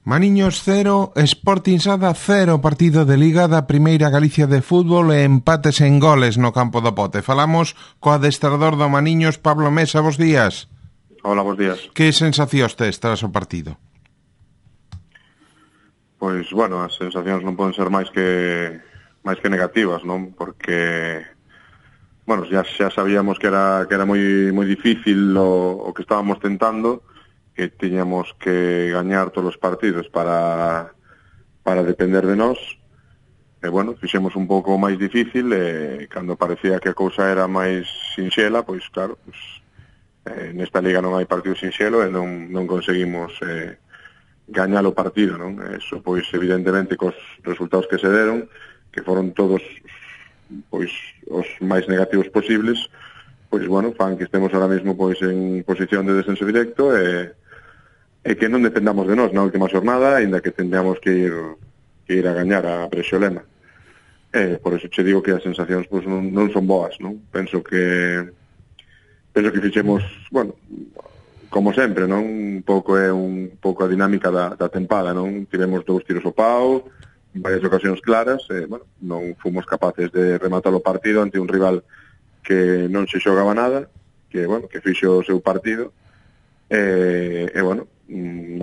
Maniños 0, Sporting Sada 0, partido de Liga da Primeira Galicia de Fútbol e empates en goles no campo do Pote. Falamos co adestrador do Maniños, Pablo Mesa. Bos días. Hola, bos días. Que sensacións tes tras o partido? Pois, bueno, as sensacións non poden ser máis que negativas, non? Porque, bueno, xa sabíamos que era moi difícil o que estábamos tentando, que tiñamos que gañar todos os partidos para depender de nós. E, bueno, fixemos un pouco máis difícil e cando parecía que a cousa era máis sinxela, pois, claro, nesta liga non hai partido sinxelo e non conseguimos gañar o partido, non? Eso, pois, evidentemente, cos resultados que se deron, que foron todos, pois, os máis negativos posibles, pois, bueno, fan que estemos ahora mesmo, pois, en posición de descenso directo e que non dependamos de nós na última xornada, aínda que tendríamos que ir a gañar a Brexolema. Por eso che digo que as sensacións, pois, non son boas, non? Penso que fixemos, bueno, como sempre, non? Un pouco a dinámica da tempada, non? Tivemos 2 tiros ao pau, varias ocasións claras, bueno, non fomos capaces de rematar o partido ante un rival que non se xogaba nada, que, bueno, que fixo o seu partido, bueno,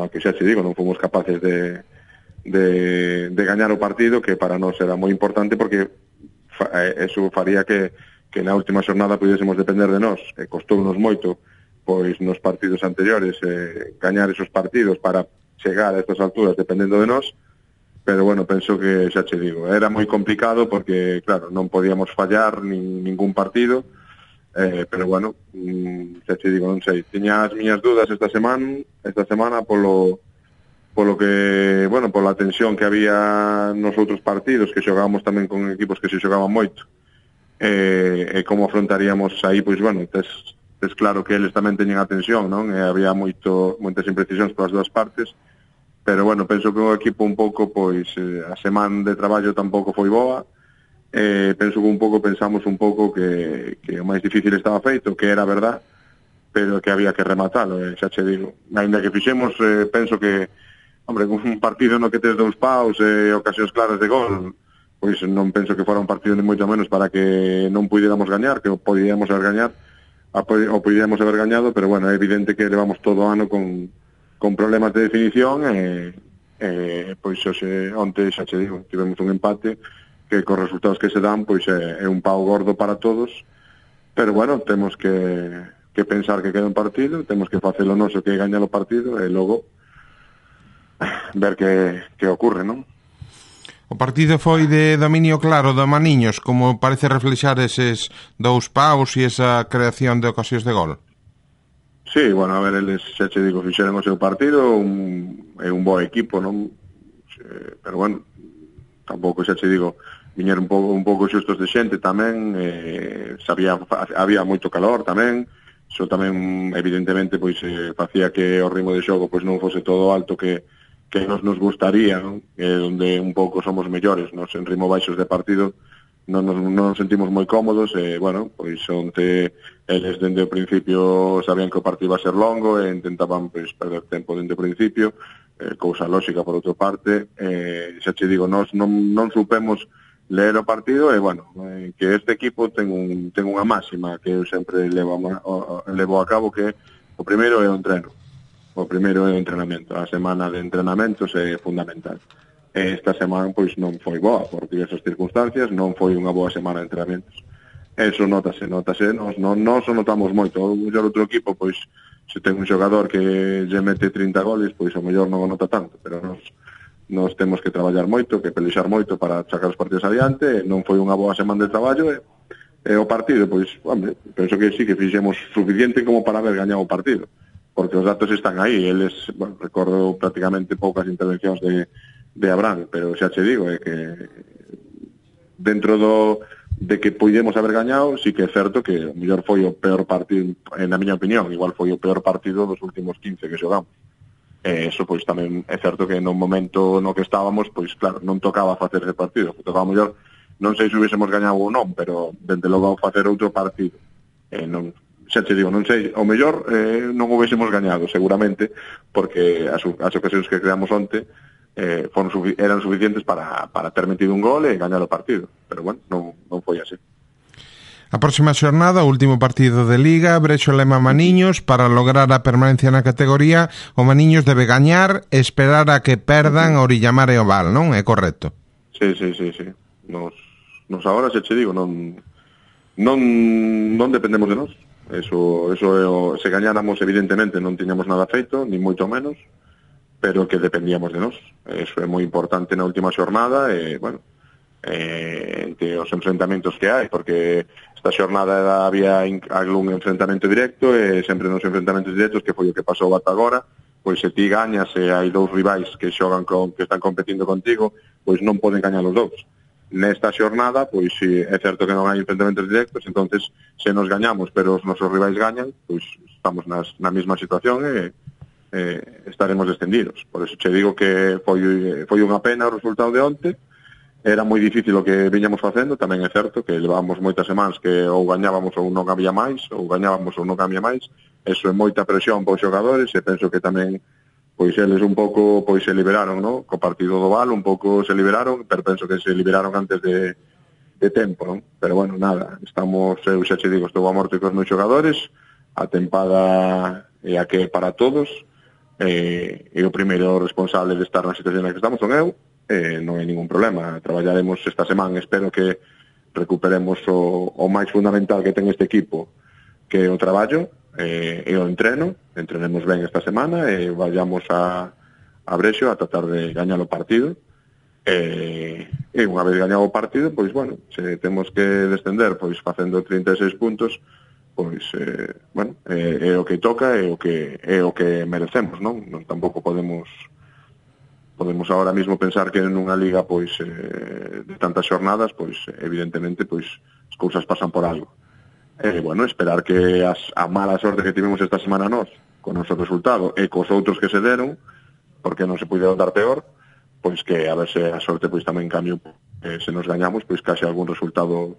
que xa che digo, non fomos capaces de gañar o partido, que para nós era moi importante, porque eso faría que na última xornada pudésemos depender de nós. Costounos moito, pois, nos partidos anteriores gañar esos partidos para chegar a estas alturas dependendo de nós, pero, bueno, penso que, xa che digo, era moi complicado porque, claro, non podíamos fallar ningún partido, pero, bueno, xa che digo, non sei, tiña as miñas dudas esta semana polo que, bueno, pola tensión que había nos outros partidos, que xogábamos tamén con equipos que se xogaban moito, e como afrontaríamos aí, pois, bueno, tes claro que eles tamén teñen a tensión, non? E había moitas imprecisións polas dúas partes, pero, bueno, penso que o equipo un pouco, pois, a semana de traballo tampouco foi boa. Penso que pensamos un pouco que o máis difícil estaba feito, que era verdad, pero que había que rematalo, xa che digo. Ainda que fixemos, penso que, hombre, un partido no que tes 2 paus e ocasións claras de gol, pois non penso que fora un partido ni moito menos para que non pudiéramos gañar, que o podíamos haber gañado, pero, bueno, é evidente que levamos todo o ano con problemas de definición pois onte xa che digo, tivemos un empate que cos resultados que se dan, pois é un pau gordo para todos, pero, bueno, temos que pensar que queda un partido, temos que facer o noso, que é gañar o partido, e logo ver que ocorre, non? O partido foi de dominio claro do Maniños, como parece reflexar eses 2 paus e esa creación de ocasións de gol. Sí, bueno, a ver, eles, xa che digo, fixeron o seu partido, é un bo equipo, non? Pero, bueno, tampouco, xa che digo, viñeron un pouco xustos de xente tamén, había moito calor tamén, iso tamén, evidentemente, pois facía que o ritmo de xogo pois non fose todo alto que nos gustaría, non? Onde un pouco somos mellores, nos en ritmo baixos de partido non nos sentimos moi cómodos, bueno, pois onte eles dende o principio sabían que o partido iba a ser longo e intentaban, pois, perder tempo dende o principio, cousa lógica por outra parte. Xa che digo, nós non supemos ler o partido e, bueno, que este equipo ten unha máxima que eu sempre levo a cabo, que o primeiro é o entreno. O primeiro é o entrenamento. A semana de entrenamentos é fundamental. Esta semana, pois, non foi boa por diversas circunstancias, non foi unha boa semana de entrenamentos. Eso notase. Nós o notamos moito. O mellor outro equipo, pois, se ten un xogador que lle mete 30 goles, pois o mellor non o nota tanto, pero nós temos que traballar moito, que pelexar moito para sacar os partidos adiante. Non foi unha boa semana de traballo e o partido, pois, hombre, penso que sí que fixemos suficiente como para haber gañado o partido, porque os datos están aí. Eles, bueno, recordo prácticamente poucas intervencións de Abraham, pero xa che digo, é que dentro de que podemos haber gañado, sí que é certo que o mellor foi o peor partido, na miña opinión, igual foi o peor partido dos últimos 15 que xogamos. Eso, pois, tamén é certo que no momento no que estábamos, pois, claro, non tocaba facer ese partido, tocaba mellor, non sei se hubiésemos gañado ou non, pero dende logo facer outro partido, non, xa te digo, non sei, ao mellor non o hubiésemos gañado seguramente, porque as ocasións que creamos onte eran suficientes para ter metido un gol e gañar o partido, pero bueno, non foi así. A próxima xornada, o último partido de Liga, Brexo lema Maniños. Para lograr a permanencia na categoría, o Maniños debe gañar e esperar a que perdan o Orillamar e o Val, non? É correcto? Sí. Nos agora, se che digo, non dependemos de nós. Eso se gañáramos, evidentemente, non tiñamos nada feito, ni moito menos, pero que dependíamos de nós. Eso é moi importante na última xornada, e, bueno, entre os enfrentamentos que hai, porque esta xornada había algún enfrentamento directo, e sempre nos enfrentamentos directos, que foi o que pasou ata agora, pois se ti gañas e hai dous rivais que xogan que están competindo contigo, pois non poden gañar os dous. Nesta xornada, pois si é certo que non hai enfrentamentos directos, entonces se nos gañamos, pero os nosos rivais gañan, pois estamos na mesma situación e estaremos descendidos. Por eso che digo que foi unha pena o resultado de onte. Era moi difícil o que viñamos facendo, tamén é certo que levábamos moitas semanas que ou gañábamos ou non había máis, ou gañábamos ou non había máis. Eso é moita presión para os xogadores, e penso que tamén pois eles un pouco pois se liberaron, no? Co partido do Val un pouco se liberaron, pero penso que se liberaron antes de tempo, non? Pero bueno, nada, eu xa che digo, estou a morte cos meus xogadores, a tempada é a que para todos, e o primeiro responsable de estar na situación na que estamos son eu. Non hai ningún problema, traballaremos esta semana, espero que recuperemos o máis fundamental que ten este equipo, que é o traballo e o entrenemos ben esta semana e vayamos a Brexo a tratar de gañar o partido, e unha vez gañado o partido, pois bueno, se temos que descender pois facendo 36 puntos, pois bueno, é o que toca, é o que merecemos, non tampouco podemos agora mesmo pensar que nunha liga pois de tantas xornadas, pois evidentemente pois as cousas pasan por algo. Bueno, esperar que a mala sorte que tivemos esta semana nós con o noso resultado e cos outros que se deron, porque non se puideron dar peor, pois que a ver se a sorte pois tamén cambia, se nos gañamos, pois case algún resultado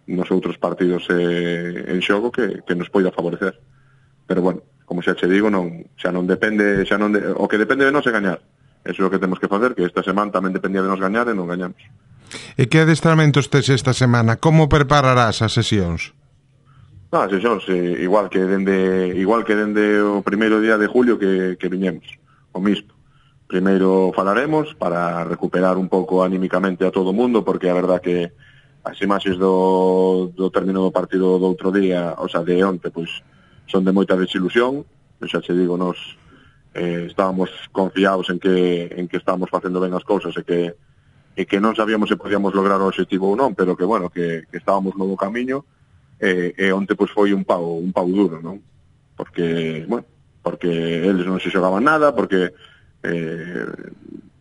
nos outros partidos en xogo que nos poida favorecer. Pero bueno, como xa che digo, xa non depende, o que depende de nós é gañar. Eso é o que temos que facer, que esta semana tamén dependía de nos gañar e non gañamos. E que adestramentos tes esta semana? Como prepararás as sesións? As sesións, igual que dende o primeiro día de julio que viñemos, o mismo. Primeiro falaremos para recuperar un pouco anímicamente a todo o mundo, porque a verdad que as imaxes do término do partido do outro día, o sea, de onte, pois son de moita desilusión. Xa che digo, nos estábamos confiados en que estábamos facendo ben as cousas e que non sabíamos se podíamos lograr o objetivo ou non, pero que bueno, que estábamos no bo camiño, e onte pois foi un pau duro, non? Porque eles non se xogaban nada, porque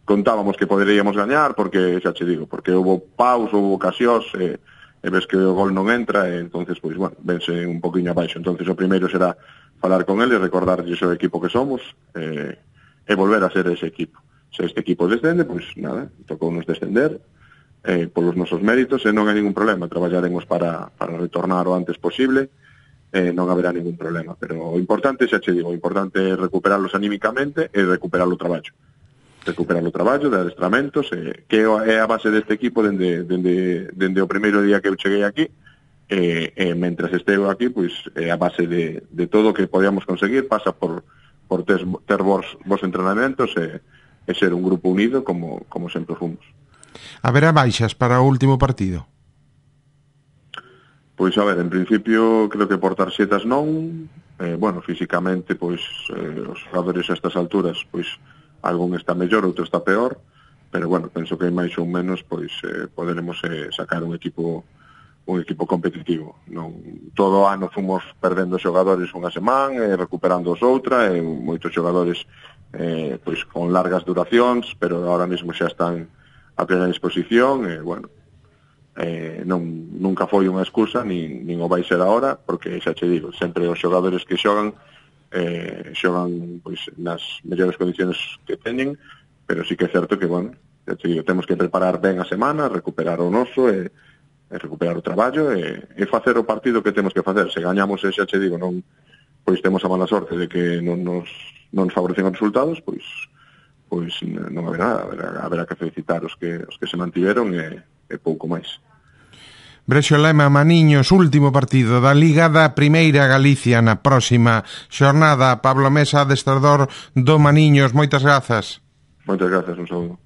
contábamos que poderíamos gañar, porque xa che digo, porque houve paus, houve ocasións, e ves que o gol non entra, e entonces pois bueno, vense un poquinho abaixo. Entonces o primeiro será falar con eles, recordarlles o equipo que somos, e volver a ser ese equipo. Se este equipo descende, pois nada, tocou nos descender polos nosos méritos, e non hai ningún problema, traballaremos para retornar o antes posible, non haberá ningún problema, pero o importante, xa che digo, o importante é recuperarlos anímicamente e recuperar o traballo de adestramentos, que é a base deste equipo dende o primeiro día que eu cheguei aquí, e mentras esteo aquí, pois a base de todo o que podíamos conseguir pasa por ter vos entrenamentos e ser un grupo unido como sempre fomos. Haberá baixas para o último partido? Pois a ver, en principio creo que por tarxetas non, bueno, físicamente pois os xogadores a estas alturas pois algún está mellor, outro está peor, pero bueno, penso que máis ou menos pois poderemos sacar un equipo competitivo. Non todo o ano fomos perdendo xogadores unha semana e recuperando os outra, e moitos xogadores pois con largas duracións, pero ahora mesmo xa están a plena disposición, e bueno, nunca foi unha excusa, nin o vai ser ahora, porque xa che digo, sempre os xogadores que xogan pois nas mellores condiciones que teñen, pero sí que é certo que, bueno, xa te digo, temos que preparar ben a semana, recuperar o noso, e recuperar o traballo e facer o partido que temos que facer. Se gañamos e xa che digo, non, pois temos a mala sorte de que non nos favorecen os resultados, pois non haberá nada, haberá que felicitar os que se mantiveron e pouco máis. Brexo Lema Maniños, último partido da Liga da Primeira Galicia na próxima xornada. Pablo Mesa, adestrador do Maniños, moitas grazas. Moitas grazas, un saúdo.